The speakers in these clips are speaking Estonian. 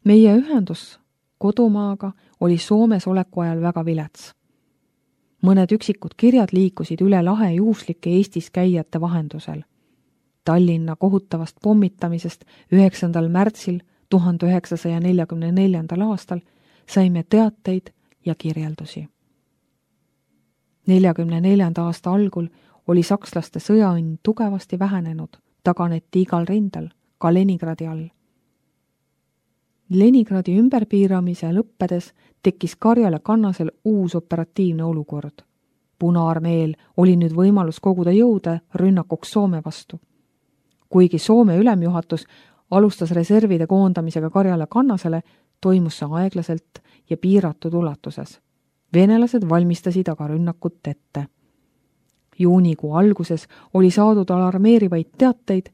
Meie ühendus kodumaaga oli Soomes oleku ajal väga vilets. Mõned üksikud kirjad liikusid üle lahe juhuslike Eestis käijate vahendusel. Tallinna kohutavast pommitamisest 9. märtsil 1944. aastal saime teateid ja kirjeldusi. 44. aasta algul oli sakslaste sõjaõnn tugevasti vähenenud, taganeti igal rindel, ka Leningradi all. Leningradi ümberpiiramise lõppedes tekkis Karjala kannasel uus operatiivne olukord. Punaarmeel oli nüüd võimalus koguda jõude rünnakuks Soome vastu. Kuigi Soome ülemjuhatus alustas reservide koondamisega Karjala kannasele, toimus see aeglaselt ja piiratud ulatuses. Venelased valmistasid aga rünnakut ette. Juunikuu alguses oli saadud alarmeerivaid teateid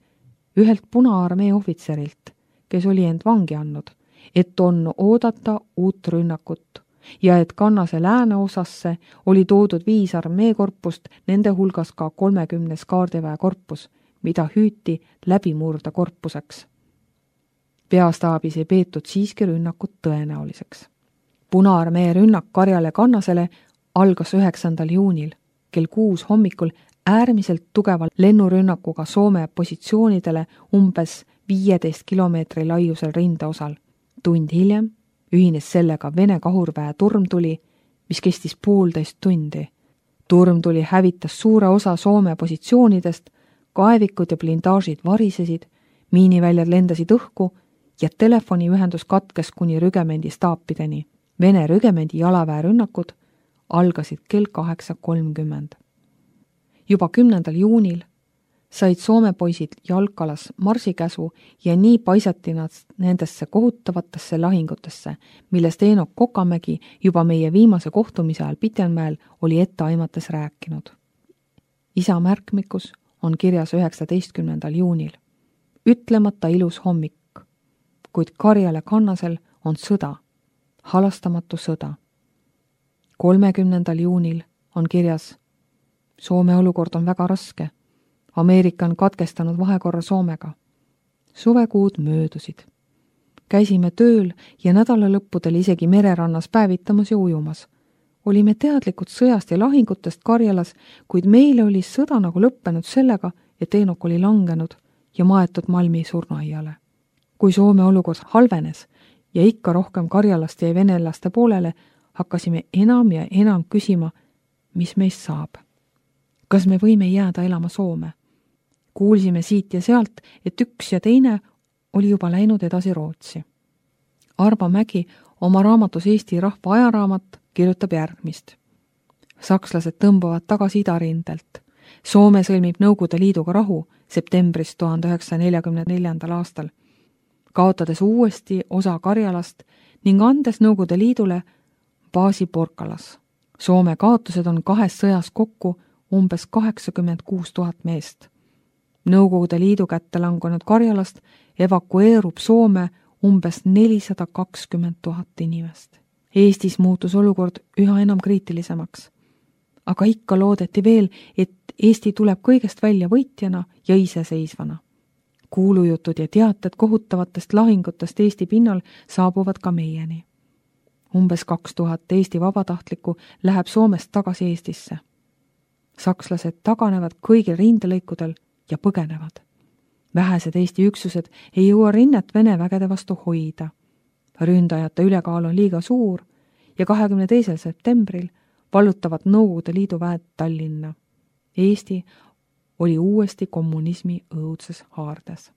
ühelt Punaarmee ohvitserilt, kes oli end vangi andnud, et on oodata uut rünnakut ja et kannase lääneosasse oli toodud 5 armeekorpust, nende hulgas ka 30 kaardiväe korpus, mida hüüti läbimurda korpuseks. Peastaabis ei peetud siiski rünnakut tõenäoliseks. Punaarmee rünnak Karjale kannasele algas 9. juunil kell 6 hommikul äärmiselt tugeva lennurünnakuga Soome positsioonidele umbes 15 kilomeetri laiusel rindeosal. Tund hiljem ühines sellega Vene kahurväe turmtuli, mis kestis 1,5 tundi. Turmtuli hävitas suure osa Soome positsioonidest, kaevikud ja blindaažid varisesid, miiniväljad lendasid õhku ja telefoniühendus katkes kuni rügemendi staapideni. Vene rügemendi jalaväe rünnakud algasid kell 8:30. Juba 10. juunil said Soome poisid Jalkalas marsikäsu ja nii paisati nad nendesse kohutavatesse lahingutesse, millest Eenok Kokamägi juba meie viimase kohtumise ajal Pitjanmäel oli etteaimates rääkinud. Isa märkmikus on kirjas 19. juunil. Ütlemata ilus hommik, kuid Karjale kannasel on sõda, halastamatu sõda. 30. juunil on kirjas: Soome olukord on väga raske. Ameerika on katkestanud vahekorra Soomega. Suvekuud möödusid. Käisime tööl ja nädalalõppudel isegi mererannas päevitamas ja ujumas. Olime teadlikud sõjast ja lahingutest Karjalas, kuid meile oli sõda nagu lõppenud sellega, et Eenok oli langenud ja maetud Malmi surnuaiale. Kui Soome olukord halvenes ja ikka rohkem Karjalast jäi venelaste poolele, hakkasime enam ja enam küsima, mis meist saab. Kas me võime jääda elama Soome? Kuulsime siit ja sealt, et üks ja teine oli juba läinud edasi Rootsi. Arvo Mägi oma raamatus Eesti rahva ajaraamat kirjutab järgmist. Sakslased tõmbuvad tagasi idarindelt. Soome sõlmib Nõukogude Liiduga rahu septembris 1944. aastal, kaotades uuesti osa Karjalast ning andes Nõukogude Liidule baasi Porkalas. Soome kaotused on 2 sõjas kokku umbes 86 000 meest. Nõukogude Liidu kätte langunud Karjalast evakueerub Soome umbes 420 000 inimest. Eestis muutus olukord üha enam kriitilisemaks. Aga ikka loodeti veel, et Eesti tuleb kõigest välja võitjana ja iseseisvana. Kuulujutud ja teated kohutavatest lahingutest Eesti pinnal saabuvad ka meieni. Umbes 2000 Eesti vabatahtlikku läheb Soomest tagasi Eestisse. Sakslased taganevad kõigil rindelõikudel ja põgenevad. Vähesed Eesti üksused ei jõua rinnet Vene vägede vastu hoida. Ründajate ülekaal on liiga suur ja 22. septembril vallutavad Nõukogude Liidu väed Tallinna. Eesti oli uuesti kommunismi õudses haardes.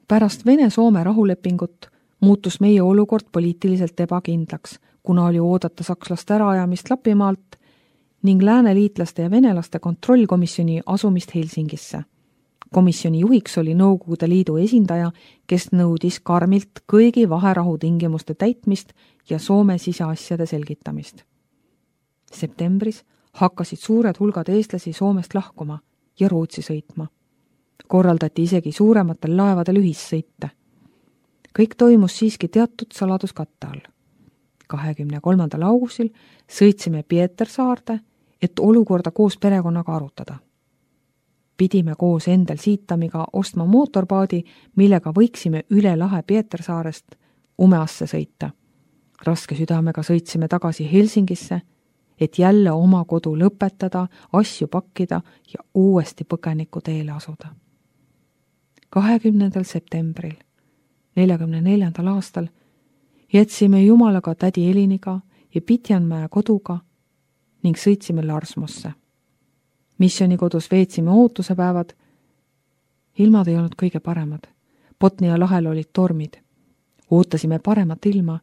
Pärast Vene-Soome rahulepingut muutus meie olukord poliitiliselt ebakindlaks, kuna oli oodata sakslaste äraajamist Lapimaalt ning lääneliitlaste ja venelaste kontrollkomisjoni asumist Helsingisse. Komisjoni juhiks oli Nõukogude Liidu esindaja, kes nõudis karmilt kõigi vaherahu tingimuste täitmist ja Soome siseasjade selgitamist. Septembris hakkasid suured hulgad eestlasi Soomest lahkuma ja Rootsi sõitma. Korraldati isegi suurematel laevadel ühissõite. Kõik toimus siiski teatud saladuskatte all. 23. augustil sõitsime Pietersaarde, et olukorda koos perekonnaga arutada. Pidime koos Endel Siitamiga ostma mootorpaadi, millega võiksime üle lahe Pietersaarest Umeasse sõita. Raske südamega sõitsime tagasi Helsingisse, et jälle oma kodu lõpetada, asju pakkida ja uuesti põgeniku teele asuda. 20. septembril 44. aastal jätsime Jumalaga tädi Eliniga ja Pitjanmäe koduga ning sõitsime Larsmosse. Missioonikodus veetsime ootusepäevad. Ilmad ei olnud kõige paremad. Botnia lahel olid tormid. Ootasime paremat ilma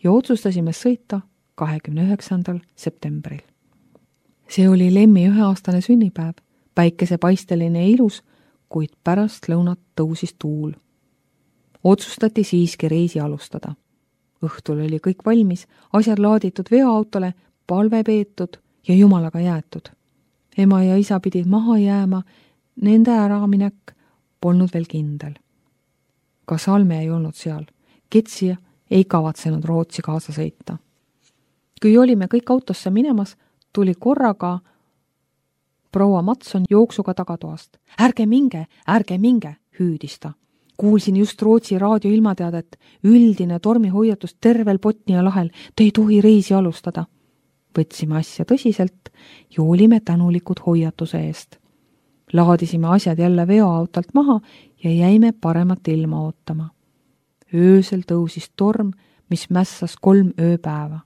ja otsustasime sõita 29. septembril. See oli Lemmi 1-aastane sünnipäev, päikesepaisteline ja ilus, kuid pärast lõunat tõusis tuul. Otsustati siiski reisi alustada. Õhtul oli kõik valmis, asjad laaditud veoautole, palve peetud ja Jumalaga jäetud. Ema ja isa pidid maha jääma, nende äraminek polnud veel kindel. Ka Salme ei olnud seal. Ketsi ei kavatsenud Rootsi kaasa sõita. Kui olime kõik autosse minemas, tuli korraga proua Matson jooksuga tagatoast. Ärge minge, hüüdis ta. Kuulsin just Rootsi raadio ilmateadet, üldine tormihoiatus tervel Botnia lahel, te ei tohi reisi alustada. Võtsime asja tõsiselt ja olime tänulikud hoiatuse eest. Laadisime asjad jälle veoautolt maha ja jäime paremat ilma ootama. Öösel tõusis torm, mis mässas 3 ööpäeva.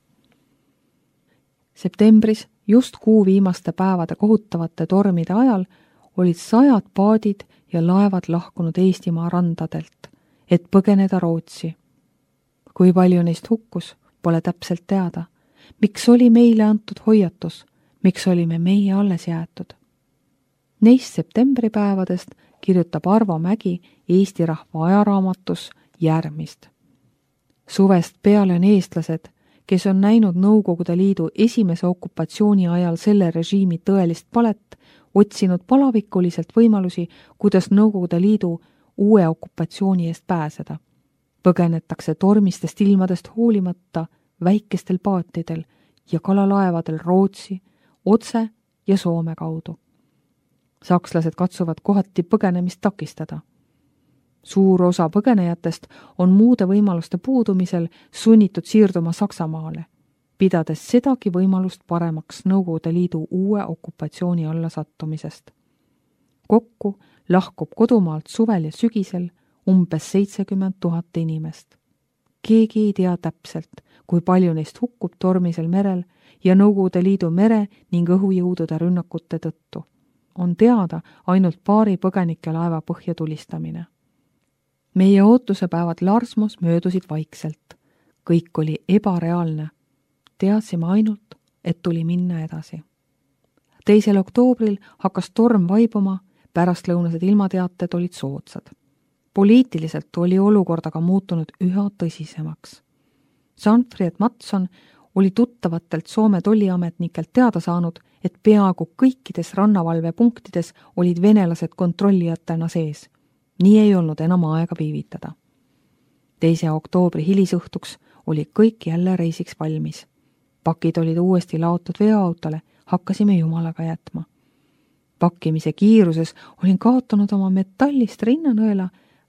Septembris, just kuu viimaste päevade kohutavate tormide ajal, olid 100 paadid ja laevad lahkunud Eestimaa randadelt, et põgeneda Rootsi. Kui palju neist hukkus, pole täpselt teada. Miks oli meile antud hoiatus? Miks olime meie alles jäetud? Neist septembripäevadest kirjutab Arvo Mägi Eesti Rahva ajaraamatus järgmist. Suvest peale on eestlased, kes on näinud Nõukogude Liidu esimese okupatsiooni ajal selle režiimi tõelist palet, otsinud palavikuliselt võimalusi, kuidas Nõukogude Liidu uue okupatsiooni eest pääseda. Põgenetakse tormistest ilmadest hoolimata väikestel paatidel ja kalalaevadel Rootsi, otse ja Soome kaudu. Sakslased katsuvad kohati põgenemist takistada. Suur osa põgenejatest on muude võimaluste puudumisel sunnitud siirduma Saksamaale, pidades sedagi võimalust paremaks Nõukogude Liidu uue okupatsiooni alla sattumisest. Kokku lahkub kodumaalt suvel ja sügisel umbes 70 000 inimest. Keegi ei tea täpselt, kui palju neist hukkub tormisel merel ja Nõukogude Liidu mere ning õhujõudude rünnakute tõttu. On teada ainult paari põgenike laeva põhja tulistamine. Meie ootusepäevad Larsmos möödusid vaikselt. Kõik oli ebareaalne. Teadsime ainult, et tuli minna edasi. 2. oktoobril hakkas torm vaibuma, pärastlõunased ilmateated olid soodsad. Poliitiliselt oli olukord aga muutunud üha tõsisemaks. Sanfried Matson oli tuttavatelt Soome tolliametnikelt teada saanud, et peaaegu kõikides rannavalvepunktides olid venelased kontrollijatena sees. Nii ei olnud enam aega viivitada. 2. oktoobri hilisõhtuks oli kõik jälle reisiks valmis. Pakid olid uuesti laotud veoautole, hakkasime Jumalaga jätma. Pakkimise kiiruses olin kaotanud oma metallist rinnanõela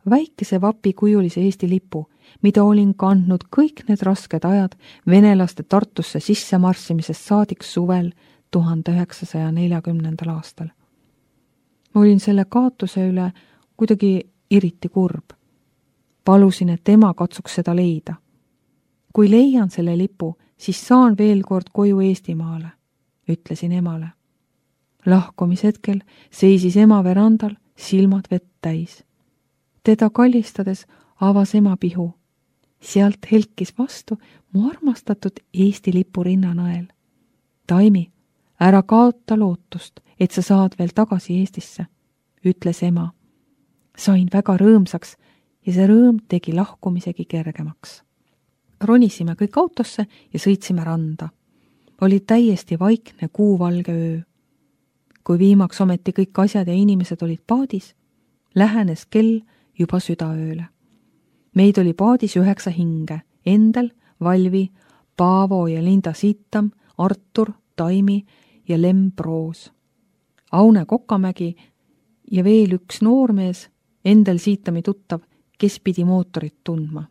väikese vapikujulise Eesti lipu, mida olin kandnud kõik need rasked ajad venelaste Tartusse sisse marssimisest saadik suvel 1940. aastal. Ma olin selle kaotuse üle kuidagi eriti kurb. Palusin, et ema katsuks seda leida. Kui leian selle lipu, siis saan veel kord koju Eestimaale, ütlesin emale. Lahkumishetkel seisis ema verandal, silmad vett täis. Teda kallistades avas ema pihu. Sealt helkis vastu mu armastatud Eesti lipu rinnanõel. Taimi, ära kaota lootust, et sa saad veel tagasi Eestisse, ütles ema. Sain väga rõõmsaks ja see rõõm tegi lahkumisegi kergemaks. Ronisime kõik autosse ja sõitsime randa. Oli täiesti vaikne kuuvalge öö. Kui viimaks ometi kõik asjad ja inimesed olid paadis, lähenes kell juba südaööle. Meid oli paadis 9 hinge, Endel, Valvi, Paavo ja Linda Siitam, Artur, Taimi ja Lem Proos. Aune Kokamägi ja veel üks noormees, Endel Siitami tuttav, kes pidi mootorit tundma.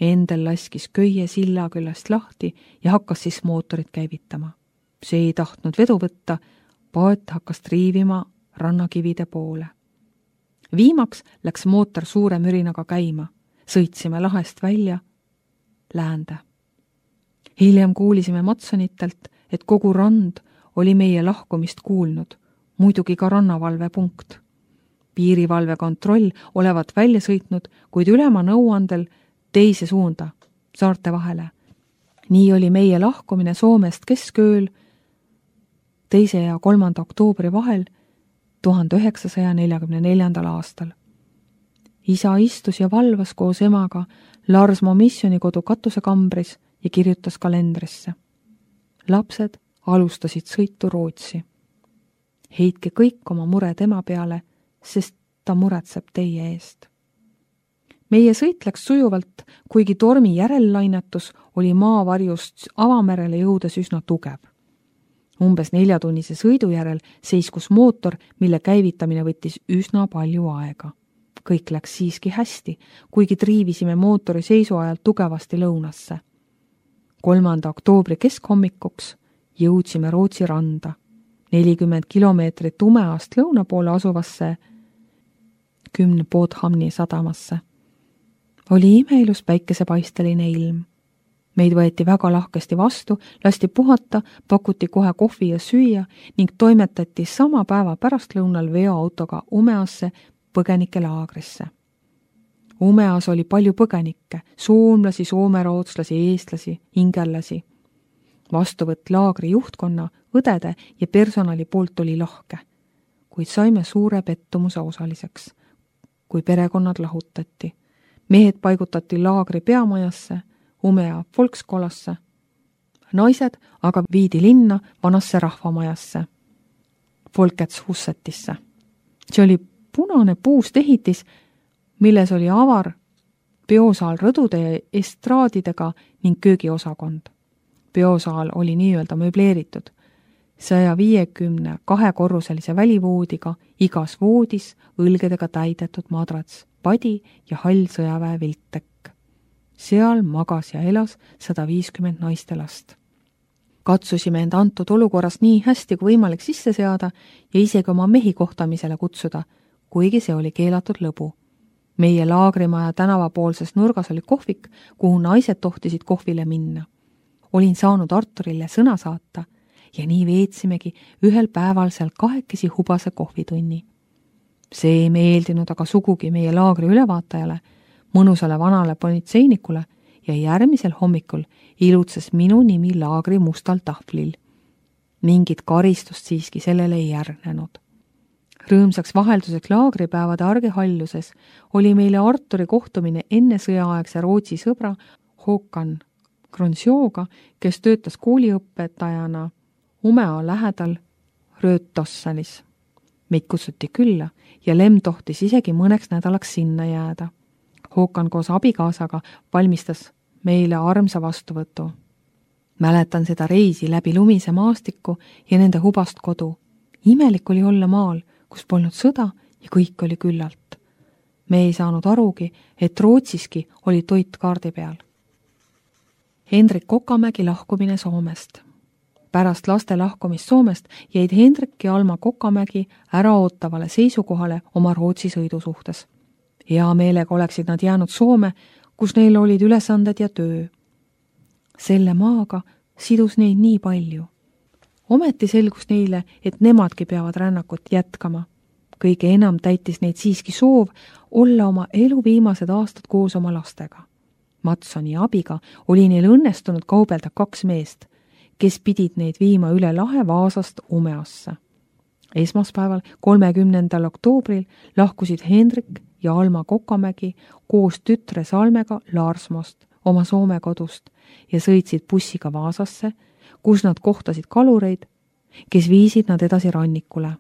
Endel laskis köie silla küljest lahti ja hakkas siis mootorit käivitama. See ei tahtnud vedu võtta, paat hakkas triivima rannakivide poole. Viimaks läks mootor suure mürinaga käima. Sõitsime lahest välja läände. Hiljem kuulisime Matsonitelt, et kogu rand oli meie lahkumist kuulnud, muidugi ka rannavalvepunkt. Piirivalve kontroll olevat välja sõitnud, kuid ülema nõuandel teise suunda, saarte vahele. Nii oli meie lahkumine Soomest keskööl 2. ja 3. oktoobri vahel 1944. aastal. Isa istus ja valvas koos emaga Larsmo missionikodu katusekambris ja kirjutas kalendrisse. Lapsed alustasid sõitu Rootsi. Heitke kõik oma mured ema peale, sest ta muretseb teie eest. Meie sõit läks sujuvalt, kuigi tormi järellainetus oli maavarjust avamerele jõudes üsna tugev. Umbes 4-tunnise sõidu järel seiskus mootor, mille käivitamine võttis üsna palju aega. Kõik läks siiski hästi, kuigi triivisime mootori seisu ajal tugevasti lõunasse. 3. oktoobri keskhommikuks jõudsime Rootsi randa, 40 kilomeetrit Umeast lõuna poole asuvasse 10 Båthamni sadamasse. Oli imeilus päikesepaisteline ilm. Meid võeti väga lahkesti vastu, lasti puhata, pakuti kohe kohvi ja süüa ning toimetati sama päeva pärastlõunal veoautoga Umeasse põgenikelaagrisse. Umeas oli palju põgenikke, soomlasi, soomerootslasi, eestlasi, ingellasi. Vastuvõtt laagri juhtkonna, õdede ja personali poolt oli lahke, kuid saime suure pettumuse osaliseks, kui perekonnad lahutati. Mehed paigutati laagri peamajasse, Umea Volkskolasse. Naised aga viidi linna vanasse rahvamajasse, Folketshussetisse. See oli punane puust ehitis, milles oli avar peosaal rõdude ja estraadidega ning köögiosakond. Peosaal oli nii-öelda möbleeritud, 152-korruselise välivoodiga, igas voodis õlgedega täidetud madrats, padi ja hall sõjaväe viltek. Seal magas ja elas 150 naistelast. Katsusime end antud olukorras nii hästi kui võimalik sisse seada ja isegi oma mehi kohtamisele kutsuda, kuigi see oli keelatud lõbu. Meie laagrimaja tänavapoolses nurgas oli kohvik, kuhu naised tohtisid kohvile minna. Olin saanud Arturile sõna saata ja nii veetsimegi ühel päeval seal kahekesi hubase kohvitunni. See ei meeldinud aga sugugi meie laagri ülevaatajale, mõnusale vanale politseinikule ja järgmisel hommikul ilutses minu nimi laagri mustal tahvlil. Mingit karistust siiski sellele ei järgnenud. Rõõmsaks vahelduseks laagripäevade argihaljuses oli meile Arturi kohtumine enne sõjaaegse Rootsi sõbra Håkan Kronsjooga, kes töötas kooliõpetajana Umea lähedal Röötossalis. Meid kutsuti külla ja Lem tohtis isegi mõneks nädalaks sinna jääda. Håkan koos abikaasaga valmistas meile armsa vastuvõtu. Mäletan seda reisi läbi lumise maastiku ja nende hubast kodu. Imelik oli olla maal, kus polnud sõda ja kõik oli küllalt. Me ei saanud arugi, et Rootsiski oli toit kaardi peal. Hendrik Kokamägi lahkumine Soomest. Pärast laste lahkumist Soomest jäid Hendrik ja Alma Kokamägi äraootavale seisukohale oma Rootsi sõidu suhtes. Hea meelega oleksid nad jäänud Soome, kus neil olid ülesanded ja töö. Selle maaga sidus neid nii palju. Ometi selgus neile, et nemadki peavad rännakut jätkama. Kõige enam täitis neid siiski soov olla oma elu viimased aastad koos oma lastega. Matsoni abiga oli neil õnnestunud kaubelda 2 meest, kes pidid neid viima üle lahe Vaasast Umeasse. Esmaspäeval 30. oktoobril lahkusid Hendrik ja Alma Kokamägi koos tütre Salmega Larsmost, oma Soome kodust, ja sõitsid bussiga Vaasasse, kus nad kohtasid kalureid, kes viisid nad edasi rannikule.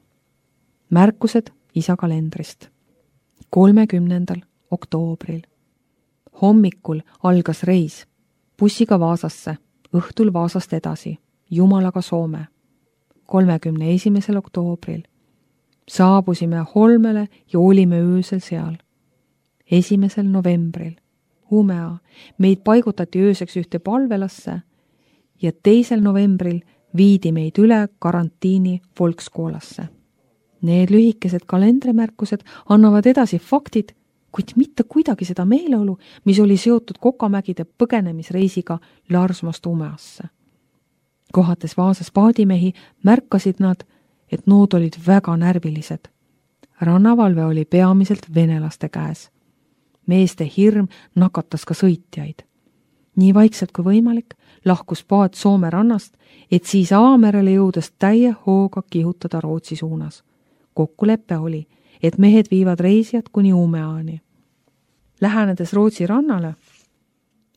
Märkused isa kalendrist. 30. oktoobril. Hommikul algas reis. Bussiga Vaasasse, õhtul Vaasast edasi, Jumalaga Soome. 31. oktoobril. Saabusime Holmele ja olime öösel seal. 1. novembril. Umea, meid paigutati ööseks ühte palvelasse ja 2. novembril viidi meid üle karantiini Volkskoolasse. Need lühikesed kalendrimärkused annavad edasi faktid, kuid mitte kuidagi seda meeleolu, mis oli seotud Kokamägide põgenemisreisiga Larsmost Umeasse. Kohates Vaasas paadimehi märkasid nad, et nood olid väga närvilised. Rannavalve oli peamiselt venelaste käes. Meeste hirm nakatas ka sõitjaid. Nii vaikselt kui võimalik lahkus paat Soome rannast, et siis Aamerele jõudes täie hooga kihutada Rootsi suunas. Kokkulepe oli, et mehed viivad reisijad kuni Umeaani. Lähenedes Rootsi rannale,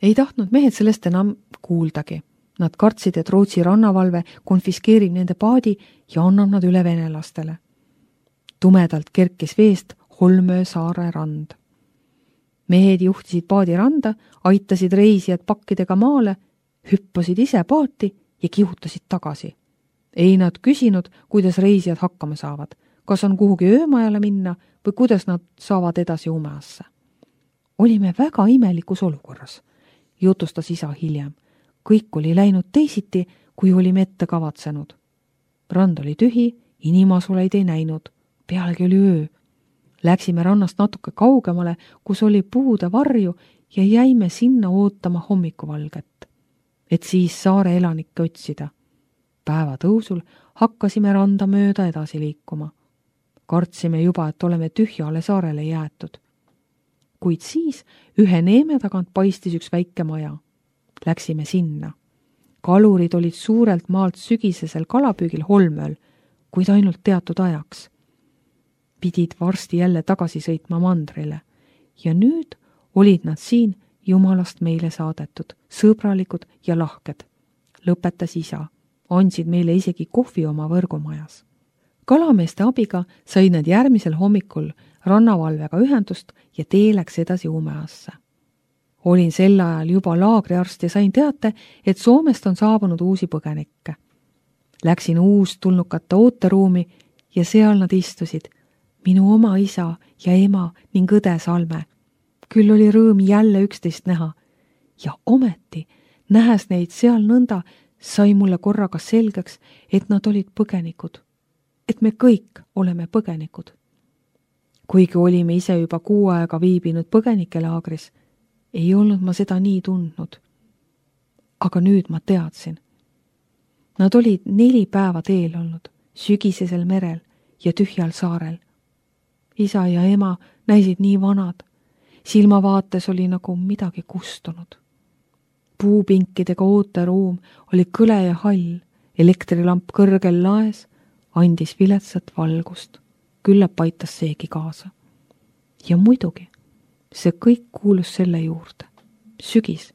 ei tahtnud mehed sellest enam kuuldagi. Nad kartsid, et Rootsi rannavalve konfiskeerib nende paadi ja annab nad üle venelastele. Tumedalt kerkis veest Holmöö saare rand. Mehed juhtisid paadi randa, aitasid reisijad pakkidega maale, hüppasid ise paati ja kihutasid tagasi. Ei nad küsinud, kuidas reisijad hakkama saavad, kas on kuhugi öömajale minna või kuidas nad saavad edasi Umeasse. Olime väga imelikus olukorras, jutustas isa hiljem. Kõik oli läinud teisiti, kui olime ette kavatsenud. Rand oli tühi, inimasuleid ei näinud, pealegi oli öö. Läksime rannast natuke kaugemale, kus oli puude varju ja jäime sinna ootama hommikuvalget, et siis saare elanikke otsida. Päeva tõusul hakkasime randa mööda edasi liikuma. Kartsime juba, et oleme tühjale saarele jäetud. Kuid siis ühe neeme tagant paistis üks väike maja. Läksime sinna. Kalurid olid suurelt maalt sügisesel kalapüügil Holmööl, kuid ainult teatud ajaks. Pidid varsti jälle tagasi sõitma mandrile ja nüüd olid nad siin Jumalast meile saadetud, sõbralikud ja lahked. Lõpetas isa, andsid meile isegi kohvi oma võrgumajas. Kalameeste abiga said nad järgmisel hommikul rannavalvega ühendust ja tee läks edasi Umeasse. Olin sel ajal juba laagriarst ja sain teate, et Soomest on saabunud uusi põgenikke. Läksin uustulnukate ooteruumi ja seal nad istusid, minu oma isa ja ema ning õde Salme. Küll oli rõõm jälle üksteist näha ja ometi, nähes neid seal nõnda, sai mulle korraga selgeks, et nad olid põgenikud, et me kõik oleme põgenikud. Kuigi olime ise juba 6 aega viibinud põgenikelaagris, ei olnud ma seda nii tundnud. Aga nüüd ma teadsin. Nad olid 4 päeva teel olnud, sügisesel merel ja tühjal saarel. Isa ja ema näisid nii vanad, silmavaates oli nagu midagi kustunud. Puupinkidega ooteruum oli kõle ja hall, elektrilamp kõrgel laes andis viletsat valgust, küllap aitas seegi kaasa. Ja muidugi, see kõik kuulus selle juurde. Sügis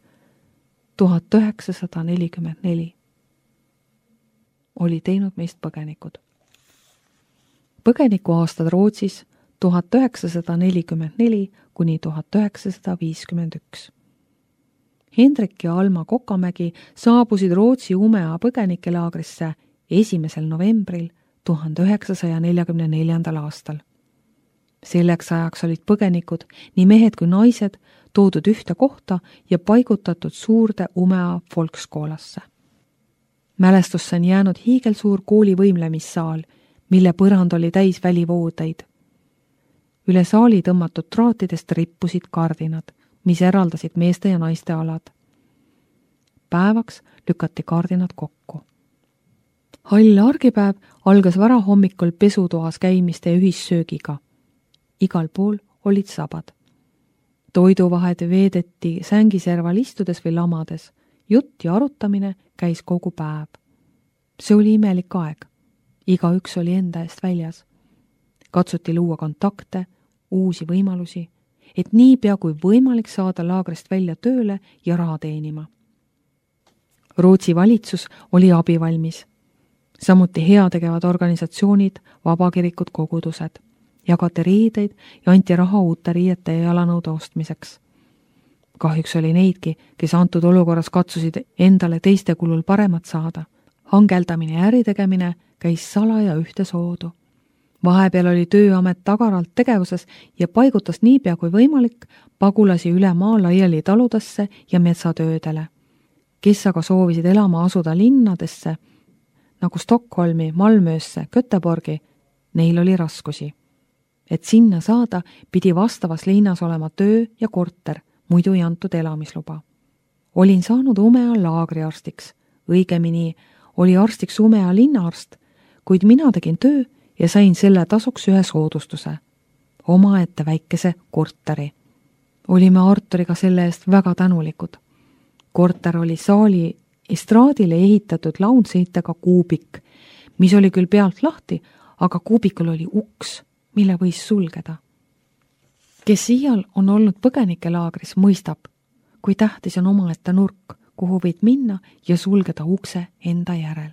1944 oli teinud meist põgenikud. Põgenikuaastad Rootsis 1944 kuni 1951. Hendrik ja Alma Kokamägi saabusid Rootsi Umea põgenikelaagrisse 1. novembril 1944. aastal. Selleks ajaks olid põgenikud, nii mehed kui naised, toodud ühte kohta ja paigutatud suurde Umea Volkskoolasse. Mälestusse on jäänud hiigelsuur kooli võimlemissaal, mille põrand oli täis välivoodeid. Üle saali tõmmatud traatidest rippusid kardinad, mis eraldasid meeste ja naiste alad. Päevaks lükati kardinad kokku. Hall argipäev algas varahommikul pesutoas käimiste ja ühissöögiga. Igal pool olid sabad. Toiduvahed veedeti sängiserval istudes või lamades. Jutt ja arutamine käis kogu päev. See oli imelik aeg. Igaüks oli enda eest väljas. Katsuti luua kontakte, uusi võimalusi, et niipea kui võimalik saada laagrist välja tööle ja raha teenima. Rootsi valitsus oli abivalmis. Samuti heategevad organisatsioonid, vabakirikud, kogudused. Jagati riideid ja anti raha uute riiete ja jalanõude ostmiseks. Kahjuks oli neidki, kes antud olukorras katsusid endale teiste kulul paremat saada. Hangeldamine ja äritegemine käis salaja ühte soodu. Vahepeal oli Tööamet tagaralt tegevuses ja paigutas niipea kui võimalik pagulasi üle maa laiali taludesse ja metsatöödele. Kes aga soovisid elama asuda linnadesse, nagu Stockholmi, Malmöösse, Göteborgi, neil oli raskusi. Et sinna saada, pidi vastavas linnas olema töö ja korter, muidu ei antud elamisluba. Olin saanud Umea laagriarstiks, õigemini oli arstiks Umea linnaarst, kuid mina tegin töö ja sain selle tasuks ühe soodustuse, omaette väikese korteri. Olime Arturiga selle eest väga tänulikud. Korter oli saali estraadile ehitatud launseitega kuubik, mis oli küll pealt lahti, aga kuubikul oli uks, mille võis sulgeda. Kes iial on olnud põgenikelaagris, mõistab, kui tähtis on omaette nurk, kuhu võid minna ja sulgeda ukse enda järel.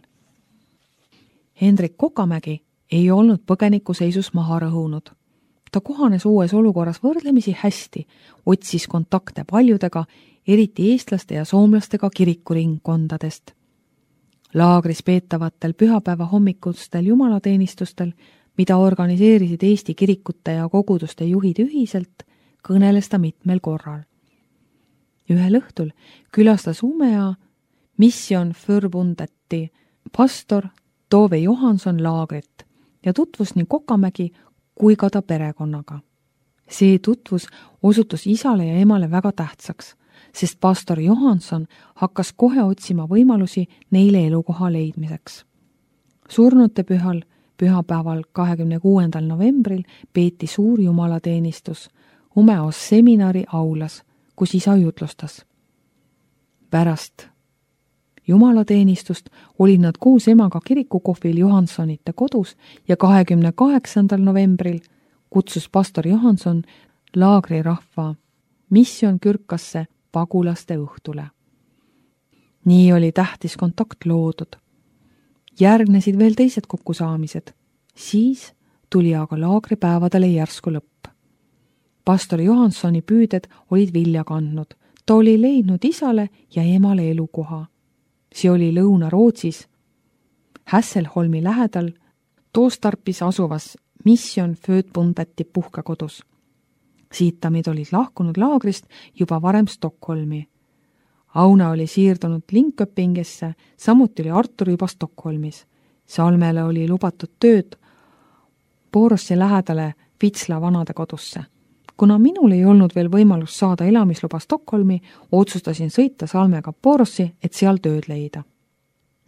Hendrik Kokamägi ei olnud põgeniku seisus maha rõhunud. Ta kohanes uues olukorras võrdlemisi hästi, otsis kontakte paljudega, eriti eestlaste ja soomlastega kirikuringkondadest. Laagris peetavatel pühapäeva hommikustel jumalateenistustel, mida organiseerisid Eesti kirikute ja koguduste juhid ühiselt, kõneles ta mitmel korral. Ühel õhtul külastas Umea Mission Förbundeti pastor Tove Johanson laagrit ja tutvus nii Kokamägi kui ka ta perekonnaga. See tutvus osutus isale ja emale väga tähtsaks, sest pastor Johanson hakkas kohe otsima võimalusi neile elukoha leidmiseks. Surnute pühal, pühapäeval 26. novembril peeti suur jumalateenistus Umeos seminari aulas, kus isa jutlustas. Pärast jumalateenistust olid nad koos emaga kirikukohvil Johansonite kodus ja 28. novembril kutsus pastor Johanson laagrirahva Mission Kürkasse pagulaste õhtule. Nii oli tähtis kontakt loodud. Järgnesid veel teised kokkusaamised. Siis tuli aga laagripäevadele järsku lõpp. Pastor Johansoni püüded olid vilja kandnud. Ta oli leidnud isale ja emale elukoha. See oli Lõuna-Rootsis, Hässelholmi lähedal, Toostarpis asuvas Mission Förbundeti puhkekodus. Siitamid olid lahkunud laagrist juba varem Stockholmi. Aune oli siirdunud Linköpingesse, samuti oli Artur juba Stockholmis. Salmele oli lubatud tööd Borossi lähedale Vitsla vanadekodusse. Kuna minul ei olnud veel võimalus saada elamisluba Stockholmi, otsustasin sõita Salmega Borossi, et seal tööd leida.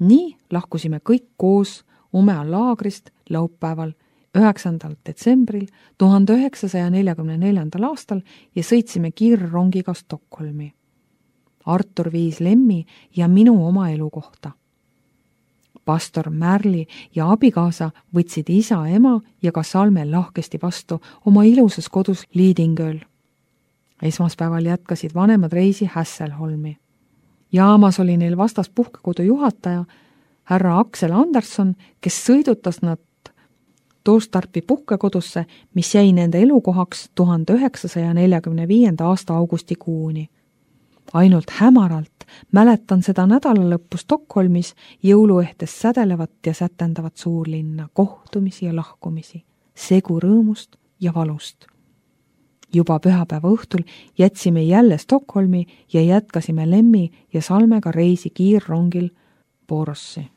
Nii lahkusime kõik koos Umea laagrist laupäeval 9. detsembril 1944. aastal ja sõitsime kiirrongiga Stockholmi. Artur viis Lemmi ja minu oma elukohta. Pastor Märli ja abikaasa võtsid isa, ema ja ka Salme lahkesti vastu oma ilusas kodus Lidingöl. Esmaspäeval jätkasid vanemad reisi Hässelholmi. Jaamas oli neil vastas puhkekodu juhataja, härra Aksel Anderson, kes sõidutas nad Toostarpi puhkekodusse, mis jäi nende elukohaks 1945. aasta augustikuuni. Ainult hämaralt mäletan seda nädalalõppu Stockholmis jõuluehtes sädelevat ja sätendavat suurlinna, kohtumisi ja lahkumisi, segu rõõmust ja valust. Juba pühapäeva õhtul jätsime jälle Stockholmi ja jätkasime Lemmi ja Salmega reisi kiirrongil Borossi.